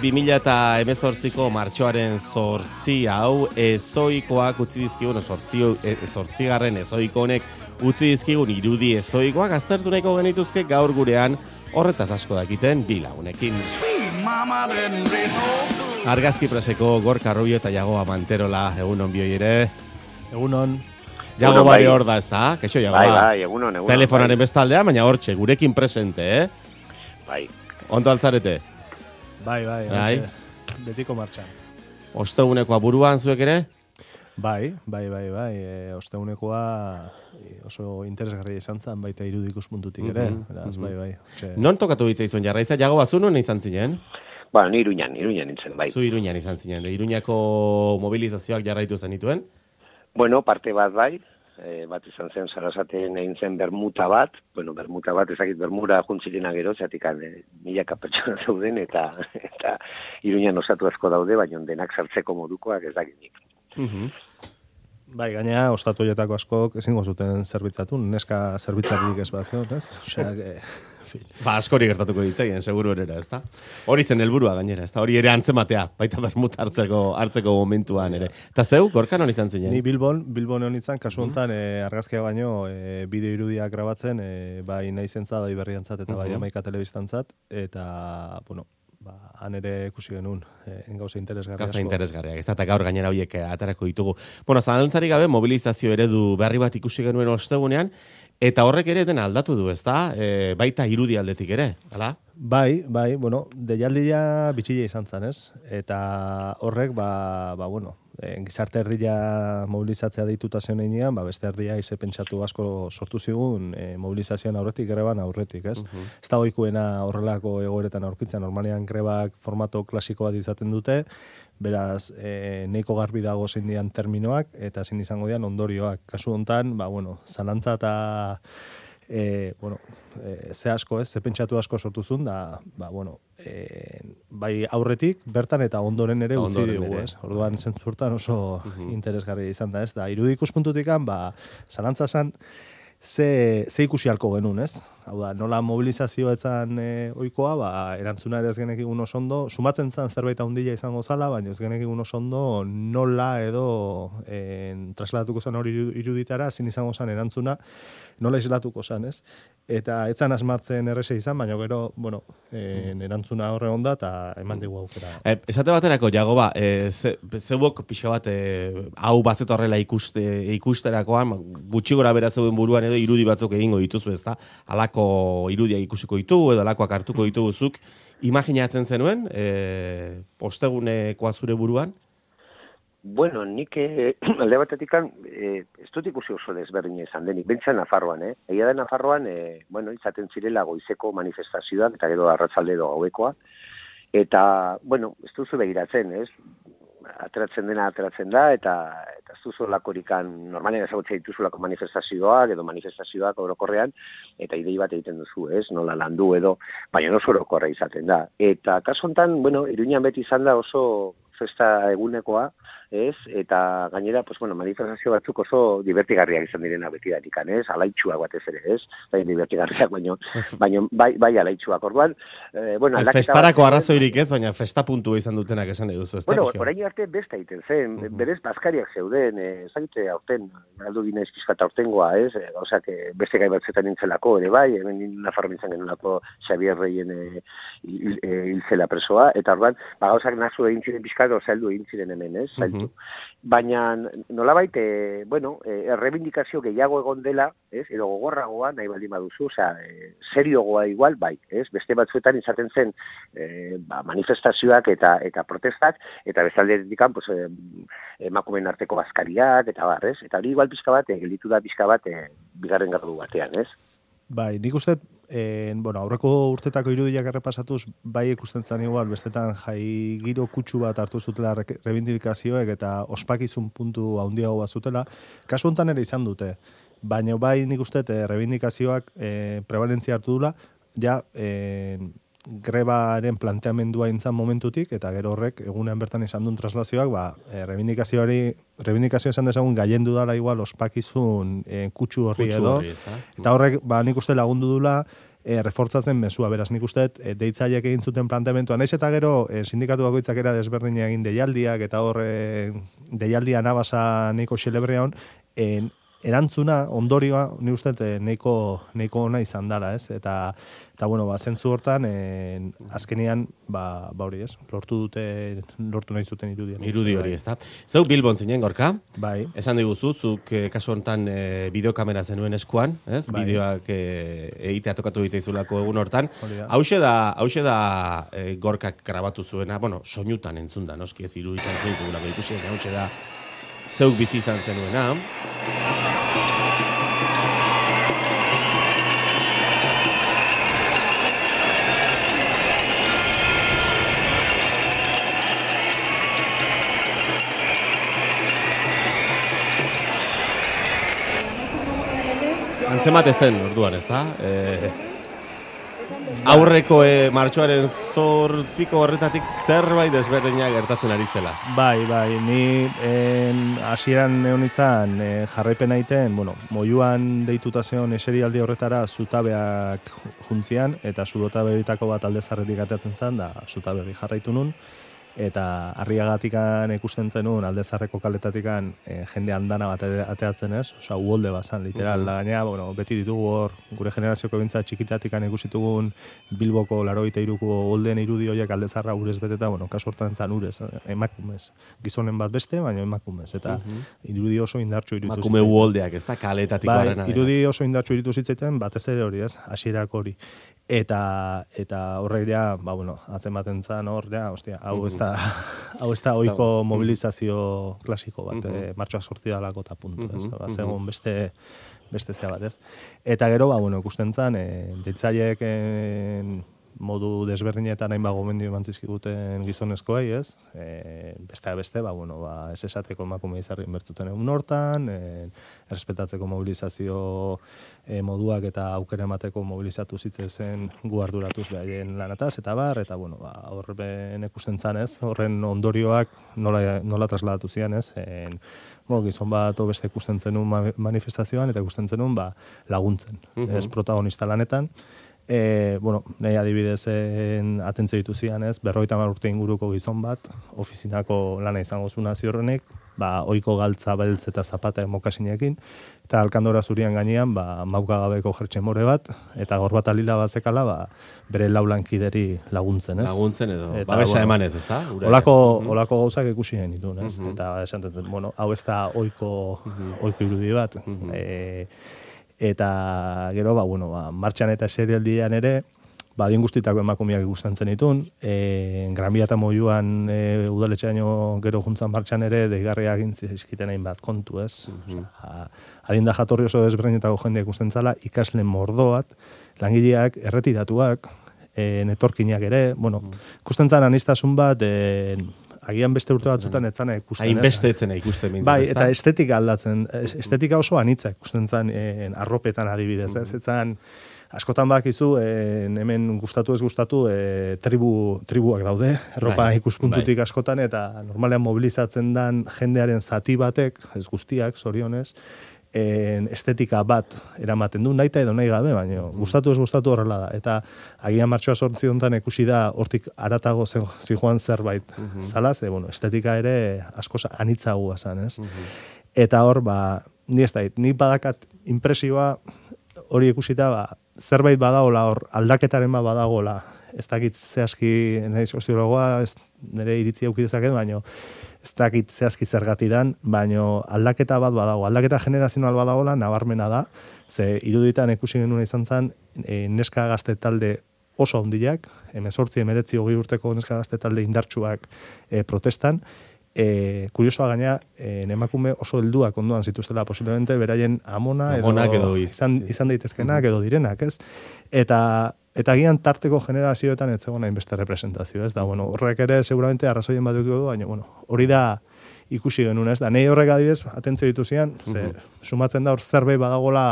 2018ko martxoaren 8 hau ezoikoak utzi dizkigun, 8. ezoiko honek utzi dizkigun irudi ezoikoak aztertu nahiko genituzke gaur gurean horretaz asko dakiten bi lagunekin. Argazki preseko Gorka Rubio eta Jagoba Manterola, egunon bioi ere. Egunon. Jagoba ere hor da, ez da? Keixo Jagoba. Bai, egunon. Telefonaren bestaldean, baina hortxe, gurekin presente, Bai. Ondo altzarete? Bai. Betiko martxan. Ostegunekoa buruan zuek ere? Bai. Ostegunekoa oso interesgarria izan zen, baita irudi ikuspuntutik ere. Beraz, bai. Non tokatu bitzaizun jarraiza? Jagoba, zu non izan zinen? Ba, ni Iruñan nintzen, bai. Zu Iruñan izan zinen. Iruñako mobilizazioak jarraitu zenituen? Bueno, parte bat bai. Bat izan zen Sarasaten egin zen bermuta bat, ezakit bermura juntzilena gero, zeatik milaka pertsona zeuden, eta Iruñan osatu asko daude, baina denak sartzeko modukoak ez dakinik. Bai, gainea, ostatu horietako askok ezingo zuten zerbitzatu, neska zerbitzatik ez bazion, ez? Osea, Ba, askori gertatuko ditzaien, seguru erera, ez da? Hori zen helburua gainera, ez da? Hori ere antzematea, baita bermuta hartzeko momentuan ere. Eta zeu, Gorka non izan zinen? Ni Bilbon hon izan, kasu honetan, argazkia baino, bideo irudiak grabatzen, bai naizentzat, bai berriantzat, eta bai Amaika telebistantzat, eta, bueno, han ere ikusi genuen gauza interesgarriak. Gauza interesgarriak, ez da, eta gaur gainera horiek atarako ditugu. Bueno, zalantzarik gabe, mobilizazio eredu berri bat ikusi genuen ostegunean, eta horrek ere dena aldatu du, ez da? Baita irudi aldetik ere, hala? Bai, bueno, deialdia bitxila izan zen, ez? Eta horrek, gizarte erdia mobilizatzea deituta zen einean, beste erdia ize pentsatu asko sortu zigun mobilizazioan aurretik, greban aurretik, ez? Ez da ohikoena horrelako egoeretan aurkitzen, normalean grebak formato klasiko bat izaten dute, beraz, nahiko garbi dago zein dian terminoak, eta zein izango dian ondorioak. Kasu hontan, zalantza eta ze asko, ze pentsatu asko sortu zuen, bai aurretik, bertan eta ondoren ere utzi dugu, ez? Orduan, zentzurtan oso interesgarria izan da, ez? Da, irudi ikuspuntutikan, zalantza zen, ze ikusi halko genuen, ez? Hau da, nola mobilizazioa etzan ohikoa, erantzuna ere ez genekigun oso ondo, sumatzen zen zerbait handia izango zala, baina ez genekigun oso ondo nola edo trasladatuko zen hori iruditara, zin izango zen erantzuna, nola islatuko zen, ez? Eta etzan asmatzen errese izan, baina gero, erantzuna horre onda eta eman digu aukera. Esate baterako, Jagoba, zeuok pixka bat hau bazeto horrela ikusterakoan, gutxi gora bera zeuden buruan edo irudi batzuk egingo dituzu, ez da? Halako irudiak ikusiko ditugu edo halakoak hartuko dituguzuk. Imaginatzen zenuen, ostegunekoa zure buruan? Bueno, nik alde batetik ez dut ikusi oso desberdina izan denik, bentsa Nafarroan, Egia da Nafarroan, izaten zirela goizeko manifestazioak, eta gero arratzalde edo gauekoa, eta, ez duzu begiratzen, ez? Ateratzen da, eta ez duzu lakorikan, normalen ezagutzea dituzulako manifestazioak, edo manifestazioak orokorrean, eta idei bat egiten duzu, ez? Nola landu edo, baina oso orokorra izaten da. Eta kasu honetan, Iruñan beti izan da oso festa egunekoa, ez? Eta gainera, manifestazio batzuk oso divertigarriak izan direna beti datikan, ez? Alaitxuak batez ere, ez? Bai, divertigarriak, baina bai alaitxuak. Orduan, festarako arrazoirik ez, baina festa puntua izan dutenak esan duzu, ez da? Orain arte beste egiten zen, berez bazkariak zeuden, ezagite aurten, galdu gina izkizkata aurtengoa, ez? Gauzak beste gai batzetan nintzelako, ere bai, hemen Nafarro nintzen genulako Xabier Reien hiltzela presoa, eta orduan, gauzak nazu egin ziren pixkat, zaildu egin ziren hemen, ez? Baina nolabait, errebindikazio gehiago egon dela, ez? Edo gogorragoa nahi baldin baduzu, seriogoa igual, bai, ez? Beste batzuetan izaten zen manifestazioak eta protestak, eta bestaldetik emakumeen arteko bazkariak, eta bar, ez? Eta hori igual pixka bat, gelditu da pixka bat, bigarren gardu batean, ez? Bai, nik uste, aurreko urtetako irudiak errepasatuz, bai ikusten zen igual, bestetan jai giro kutsu bat hartu zutela rebindikazioek eta ospakizun puntu handiago bat zutela, kasu honetan ere izan dute. Baina bai nik uste, rebindikazioak prevalentzia hartu dula, grebaren planteamendua intzan momentutik, eta gero horrek, egunean bertan izan duen traslazioak, rebindikazio esan dezagun gaiendu dala igual ospakizun kutsu horri edo. Eta horrek, nik uste lagundu dula, refortzatzen mezua, beraz nik uste, deitzaileek egin zuten planteamentua, naiz eta gero sindikatu bakoitzak era desberdina egin deialdiak, eta hor deialdia nabasa neiko xelebrea hon, erantzuna, ondorioa, ni uste, neiko ona izan dara, ez? Eta bueno, zentzu hortan, azkenean, hori ez, lortu nahi zuten irudian. Irudi hori, ez da. Zeu Bilbon zinen, Gorka? Bai. Esan diguzu, zuk kasu honetan bideokamera zenuen eskuan, ez? Bai. Bideoak egitea tokatu ditzaizulako egun hortan. Hauxe da Gorkak grabatu zuena, bueno, soinutan entzun da, noski ez iruditan zeitugulako ikusi, hauxe da zeuk bizi izan zenuena. Antzemate zen, orduan, ez da? Aurreko martxoaren 8 horretatik zerbait desberdina gertatzen ari zela. Bai, ni hasieran neonitzan jarraipen aiten, moiuan deituta zeon eserialdi horretara zutabeak juntzian, eta zutabeetako bat aldezarretik ateatzen zen, da zutabeari jarraitu nun, eta Arriagatikan ikusten zenun, aldezarreko kaletatikan jende andana bat ateatzen ez, osea, uholde bazan, literal, da gainea, beti ditugu hor, gure generazioko bintza txikitatikan ikusitugun Bilboko 83ko uholdeen irudi horiek aldezarra urez beteta, kasu hortan zan urez, emakumez, gizonen bat beste, baina emakumez, eta irudi oso indartsu iritu zitzen. Emakume uholdeak, ez da, kaletatico arena. Irudi oso indartsu iritu zitzen, batez ere hori ez, hasierak hori. Eta horrek ja, atzematen zan hor, hostia, hau ez da oiko mobilizazio klasiko bat, martxoak 8 dalako eta puntu, ez? Zegoen beste zea bat, ez? Eta gero, ikusten zan, deitzaileek modu desberdinetan hainbat gomendio eman zizkiguten gizonezkoei, ez? Beste, ez esateko emakume izarri inbertzuten egun hortan, errespetatzeko mobilizazio moduak eta aukera emateko mobilizatu zitzezen gu arduratuz behaien lanataz, eta horren ikusten zan, ez? Horren ondorioak nola trasladatu zian, ez? Gizon bat beste ikusten zenun manifestazioan, eta ikusten zenun laguntzen, ez protagonista lanetan. Nahi adibidez atentzio ditu zian, ez? 50 urte inguruko gizon bat, ofizinako lana izango zuna ziorrenek, oiko galtza, beltz eta zapata mokasinekin, eta alkandora zurian gainean, maukagabeko jertxe more bat, eta gorbata lila bat zekala, bere laulankideri laguntzen, ez? Laguntzen edo, babesa emanez, ez da? Olako gauzak ikusi gen ditun, ez? Eta esantzen, hau ez da oiko irudi bat. Eta gero, martxan eta serialdian ere, adin guztitako emakumeak ikusten zenitun, Gran Via eta Moiuan udaletxeaino gero juntzan martxan ere, deigarriak gintzizkiten hainbat kontu, ez? Adin da jatorri oso desberdinetako jendea ikusten zala, ikasle mordoat, langileak, erretiratuak, netorkinak ere, ikusten zan aniztasun bat, agian beste urte batzutan etzana ikusten. Hainbeste etzena ikusten mintzen. Bai, eta estetika aldatzen. Estetika oso anitza ikusten zen arropetan adibidez. Ez etzan, askotan bakizu, hemen gustatu ez gustatu, tribuak daude, erropa ikuspuntutik askotan, eta normalean mobilizatzen dan jendearen zati batek, ez guztiak, zorionez, estetika bat eramaten du, nahi edo nahi gabe, baina gustatu ez gustatu horrela da. Eta agian martxoa 8 honetan ikusi da hortik aratago zijoan zerbait zala, estetika ere asko anitzagoa zen, ez? Eta hor, ni badakat impresioa hori ikusita, zerbait badagola hor, aldaketaren badagola, ez dakit zehazki, nahi soziologoa, nire iritzia aukidezak baina ez dakit zehazki zergatidan, baina aldaketa bat badago. Aldaketa generazional badagola, nabarmena da, ze iruditan ikusi genuen izan zen, neska gazte talde oso handiak, 18-19 urteko neska gazte talde indartsuak protestan, kuriosoa gaina, emakume oso helduak ondoan zituztela posiblemente, beraien amona edo izan daitezkenak edo direnak, ez? Eta gian tarteko generazioetan ez zegoen hainbeste representazio, ez da, horrek ere seguramente arrazoien bat dukiko du, baina, hori da ikusi genuen, ez da, nahi horrek adibidez, atentzio dituzian, sumatzen da hor zerbait badagola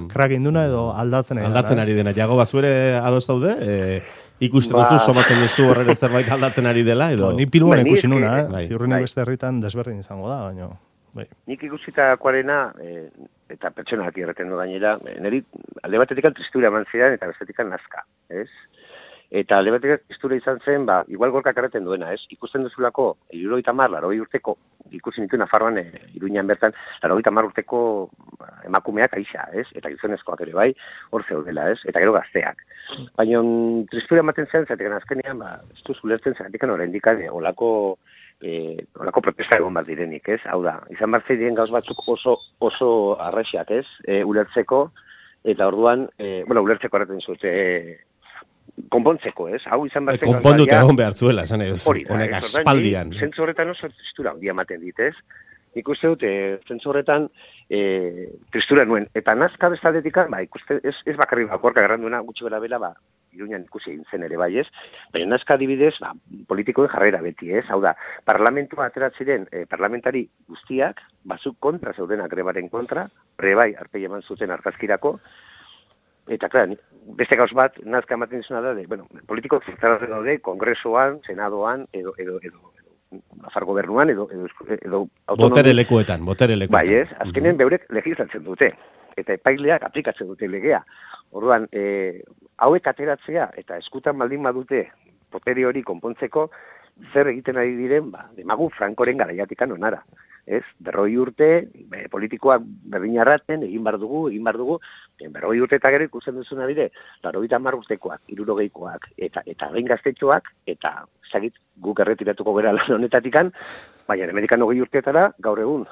krak induna edo aldatzen ari dena. Aldatzen ari dena, jago bazuere adoz daude, ikusten duzu, somatzen duzu horrere zerbait aldatzen ari dela, edo? Ni piluan ikusi nuna, ziurrenik beste herritan desberdin izango da, baina... Nik ikusitakoarena, eta pertsonak irreten du gainera, niri alde batetik tristura eman zidan eta bestetik nazka, ez? Eta alde batetik tristura izan zen, igual gorkak erreten duena, ez? Ikusten duzulako, 70, 80 urteko, ikusi nitu Nafarroan, Iruñan bertan, 80 urteko emakumeak aixa, ez? Eta gizonezkoak ere bai, hor zeudela, ez? Eta gero gazteak. Baina tristura ematen zen, zatekan azkenean, ez duz ulertzen zatekan oraindik olako protesta egon bat direnik, ez? Hau da, izan bat zeidien gauz batzuk oso arrexak, ez? Ulertzeko, eta orduan, ulertzeko erraten zute, konpontzeko, ez? Hau izan bat zen... Konpondut egon behar zuela, esan edo, honek aspaldian. Zentzu horretan oso tristura handia ematen dit, ez? Nik uste dut, zentzu horretan tristura nuen. Eta nazka bestaldetik, ikuste, ez bakarrik bakorka garranduena, gutxi bera bela, Iruñan ikusi egin zen ere bai, ez? Baina nazka adibidez, politikoen jarrera beti, ez? Hau da, parlamentua ateratziren parlamentari guztiak, bazuk kontra zeudenak grebaren kontra, bai, arpei eman zuten argazkirako, eta, klar, beste gauz bat, nazka ematen zuna da, politiko zertarra daude, kongresoan, senadoan, edo Nafar gobernuan, edo autonomi... Botere lekuetan. Bai, ez? Azkenen beurek legislatzen dute, eta epaileak aplikatzen dute legea. Orduan, hauek ateratzea, eta eskutan baldin badute, potere hori konpontzeko, zer egiten ari diren, demagu Frankoren garaiatikan onara. Ez, 40 urte, politikoak berdinarraten, egin bar dugu, 40 urte eta gero ikusten duzuna bide, 80 urtekoak, 60koak, eta gain gaztetxoak, eta zagit guk erretiratuko gara lan honetatikan, baina Amerikan 20 urteetara, gaur egun,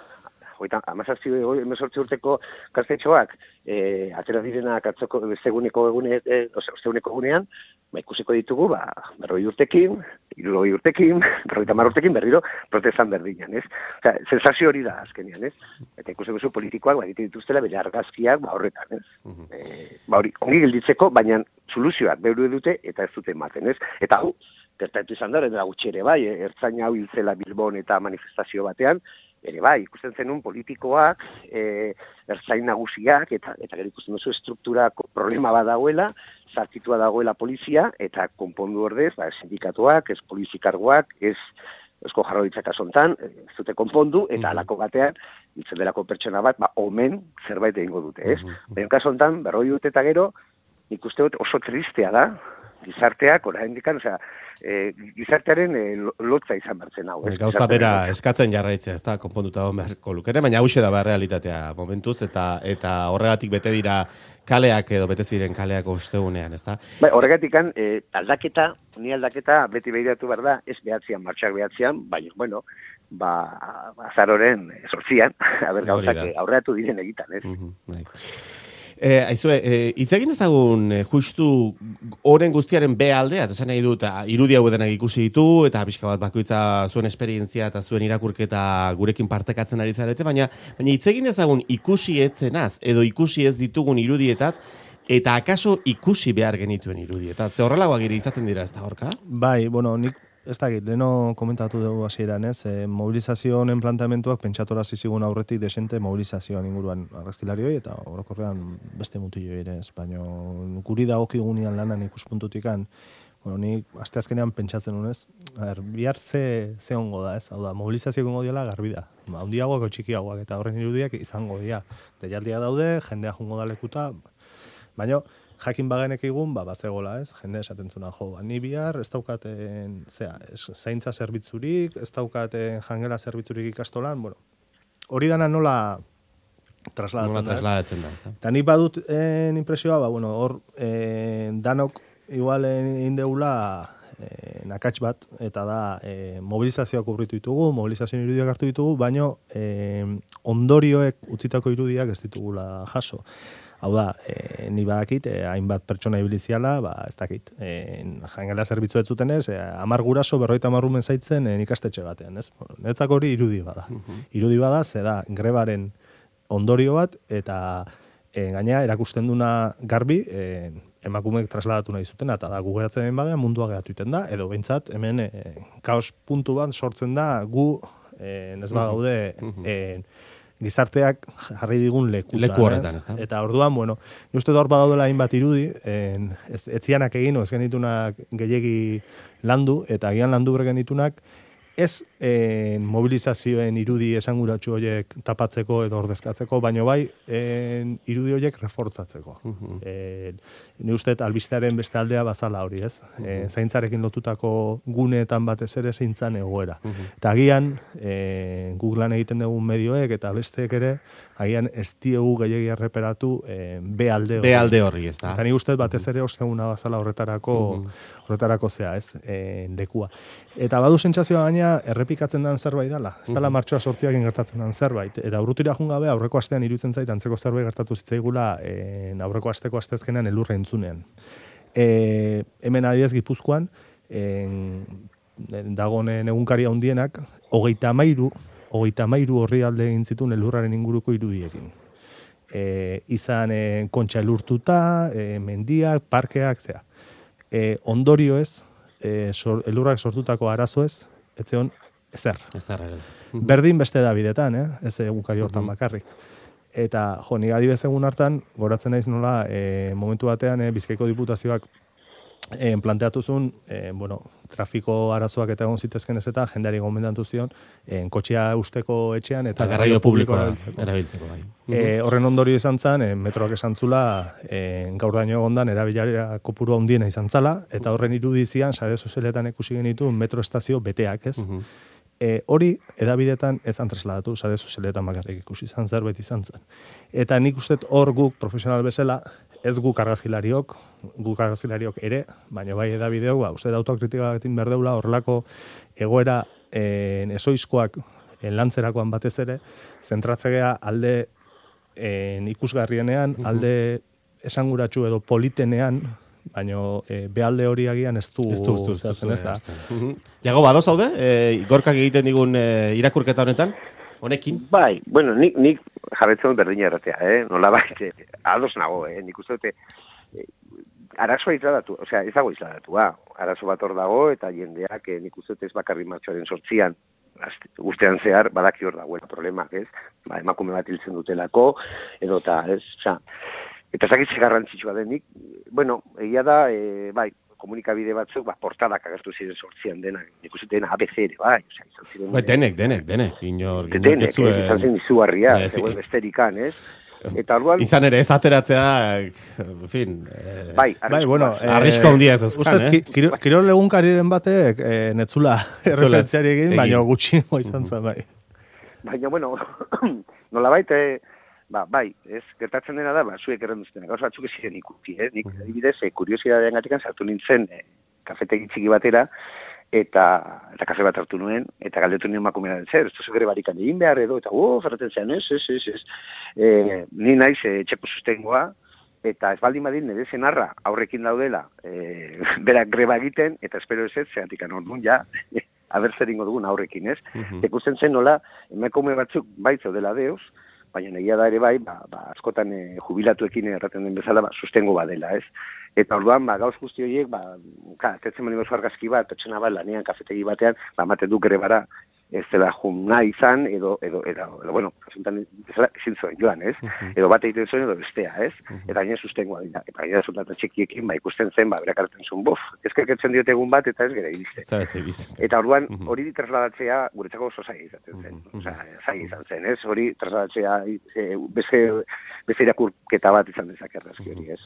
17 urteko gaztetxoak, atera direnak atzoko osteguneko egunean, ikusiko ditugu, 40 urtekin, 60 urtekin, 50 urtekin berriro protestan berdinan, ez? Osea, sensazio hori da azkenean, ez? Eta ikusten duzu politikoak, egiten dituztela bere argazkiak, horretan, ez? Hori, ongi gelditzeko, baina soluzioak beuru dute eta ez dute ematen, ez? Eta hau, gertatu izan da, eta gutxi ere bai, ertzaina hau hiltzela Bilbon eta manifestazio batean, ere bai, ikusten zenun politikoak, ertzain nagusiak, eta gero ikusten duzu estrukturako problema bat dagoela, zartitua dagoela polizia, eta konpondu ordez, sindikatuak, ez polizikarguak, ez Eusko Jaurlaritzak asontan, ez dute konpondu, eta alako batean, hiltzen delako pertsona bat, omen zerbait egingo dute, ez? Baina kasu hontan, 40 urte eta gero, nik uste dut oso tristea da, gizarteak, oraindikan, gizartearen lotza izan bertzen hau. Gauza bera eskatzen jarraitzea, ez da, konponduta egon beharko lukere, baina hauxe da realitatea momentuz, eta horregatik bete dira kaleak edo bete ziren kaleak ostegunean, ez da? Horregatik aldaketa beti behiratu behar da, ez behatzean, martxak behatzean, baina, azaroren sortzian, gauzak aurreatu diren egitan, ez? Aizue, hitz egin ezagun justu horren guztiaren be aldea, eta esan nahi dut, irudi hau denak ikusi ditu, eta pixka bat bakoitza zuen esperientzia eta zuen irakurketa gurekin partekatzen ari zarete, baina hitz egin ezagun ikusi etzenaz, edo ikusi ez ditugun irudietaz, eta akaso ikusi behar genituen irudietaz. Ze horrelagoak ere izaten dira ez da horka? Bai, nik ez dakit, leheno komentatu dugu hasieran, ez? Mobilizazio honen planteamentuak pentsatora zizigun aurretik desente mobilizazioan inguruan argazkilarioi eta orokorrean beste mutilioi ere, ez? Baina guri dagokigunean lanan ikuspuntutikan, nik asteazkenean pentsatzen nuen, ez? Bihar ze ongo da, ez? Hau da, mobilizazio ongo diala garbi da. Handiagoak o txikiagoak eta horren irudiak izango dira. Deialdia daude, jendea jungo da lekuta, baina jakin bagenek egun, bazegola, ez? Jende esaten zuna, ni bihar ez daukaten, zaintza zerbitzurik, ez daukaten jangela zerbitzurik ikastolan, hori dana nola trasladatzen da, ez? Eta nik badut impresioa, hor danok igual indeula nakatx bat, eta da mobilizazioak urritu ditugu, mobilizazioan irudiak hartu ditugu, baina ondorioek utzitako irudiak ez ditugula jaso. Hau da, ni badakit, hainbat pertsona ibiliziala, ez dakit, jangela zerbitzu ez zuten ez, 10 guraso 50 rumen zaitzen ikastetxe batean, ez? Netzako hori irudi bada. Irudi bada, ze da, grebaren ondorio bat, eta gaina erakusten duna garbi, emakumeek trasladatu nahi zuten, eta da, gu geratzen den badean mundua geratu iten da, edo behintzat, hemen kaos puntu bat sortzen da, gu, ez badaude, gizarteak jarri digun leku horretan, ez da? Eta orduan, uste hor badaudela hainbat irudi, etzianak egin, ez genitunak gehiegi landu, eta agian landu genitunak, ez mobilizazioen irudi esanguratsu horiek tapatzeko edo ordezkatzeko, baino bai irudi horiek refortzatzeko. Ni uste albistearen beste aldea bazala hori, ez? Zaintzarekin lotutako guneetan batez ere zeintzan egoera. Eta agian, guk lan egiten dugun medioek eta besteek ere, agian ez diegu gehiagia erreperatu B-alde hori. B-alde horri, ez da. Eta ni uste batez ere osteguna bazala horretarako zea, ez? Lekua. Eta badu sentsazioa gaina errepikatzen den zerbait dela. Ez dela martxoa 8 gertatzen den zerbait. Eta urrutira joan gabe aurreko astean iruditzen zait antzeko zerbait gertatu zitzaigula aurreko asteko astezkenean elurra entzunean. Hemen adibidez Gipuzkoan dagoen egunkaria handienak 33 orrialde egin zituen elurraren inguruko irudiekin. Izan kontxa elurtuta, mendiak, parkeak, zea. Ondorio ez, elurrak sortutako arazo ez zeon ezer. Berdin beste da bidetan, ez egunkari hortan bakarrik. Eta, nik adibidez egun hartan, goratzen naiz nola, momentu batean Bizkaiko Diputazioak planteatu zuen, trafiko arazoak eta egon zitezken ez eta jendeari gomendatu zion, kotxea usteko etxean eta garraio publikoa erabiltzeko. Horren ondorio izan zen, metroak esan zula, gaur daño egondan erabilera kopuru handiena izan zala, eta horren irudizian, sare sozialetan ikusi genitu, metro estazio beteak, ez? Hori, edabidetan ez trasladatu, sare sozialetan bakarrik ikusi izan zerbait izan zen. Eta nik uste hor guk profesional bezala, ez guk argazkilariok ere, baina bai edabideok, uste da autokritika batekin berdeula, horrelako egoera ezoizkoak lantzerakoan batez ere, zentratzegea alde ikusgarrienean, alde esanguratsu edo politenean, baina behalde hori agian ez du zehazten ez da. Jago, badoz haude, gorkak egiten digun irakurketa honetan? Honekin? Bai, bueno, nik jarretzen berdina erratea, nola bai, ados nago, nik uste dute, arazoa izladatu, osea, ez dago izladatua, arazo bat hor dago, eta jendeak nik uste dute ez bakarri martxoaren 8 guztean zehar, badaki hor dagoela problemak, ez? Emakume bat hiltzen dutelako, edo eta, ez? Osea, eta zakitze garrantzitsua denik, bueno, egia da, bai, komunikabide batzuk, portadak agertu ziren 8 denak, nik uste dena ABC ere, bai, osea, izan ziren... Denek, inor... Denek, izan zen izugarria, zegoen besterikan, ez? Eta orduan... Izan ere, ez ateratzea, en fin... Bai, bueno, arrisko handia ez euskan, Kirol egunkariren batek, netzula erreferentziari egin, baina gutxingo izan zen, bai. Baina, bueno, nola baita... bai, ez, gertatzen dena da, zuek errenduztenak, gauza batzuk ez ziren ikuti, nik, adibidez, kuriosidadean gatikan sartu nintzen kafetegi txiki batera, eta kafe bat hartu nuen, eta galdetu nien emakumea den zer, ez duzu gere barikan egin behar edo, eta ferraten zean, ez, ni naiz txeko sustengoa, eta ez baldin badin nire zenarra aurrekin daudela, berak greba egiten, eta espero ez ez, zeatik orduan ja, aber zer ingo dugun aurrekin, ez? Ikusten zen nola, emakume batzuk baitzo dela deus, baina negia da ere bai, askotan jubilatuekin erraten den bezala, sustengo badela, ez? Eta orduan, gauz guzti horiek, atetzen mani gozu argazki bat, totxena bat, lanean kafetegi batean, ematen du grebara, ez dela jumna izan, edo, bueno, kasuntan ezin zuen joan, ez? Edo bat egiten zuen, edo bestea, ez? Eta gaina sustengoa dira. Eta gaina resultatu txekiekin, ikusten zen, berak hartzen zuen, ezkerketzen diote egun bat, eta ez gera iriste. Eta orduan, hori trasladatzea, guretzako oso zaila izaten zen. Zaila izan zen, ez? Hori trasladatzea, beste irakurketa bat izan dezak argazki hori, ez?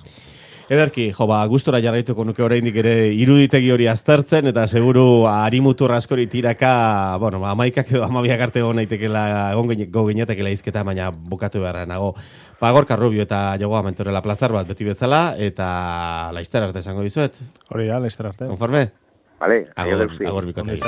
Ederki, gustora jarraituko nuke oraindik ere iruditegi hori aztertzen, eta seguru harimutur askori tiraka, bueno, 11 edo 12 arte egon naitekela, egon ginetekela izketa, baina bukatu beharra nago. Gorka Rubio eta Jagoa Mentorela plazar bat beti bezala, eta laizter arte esango dizuet. Hori da, laizter arte. Konforme? Vale, agor bikote.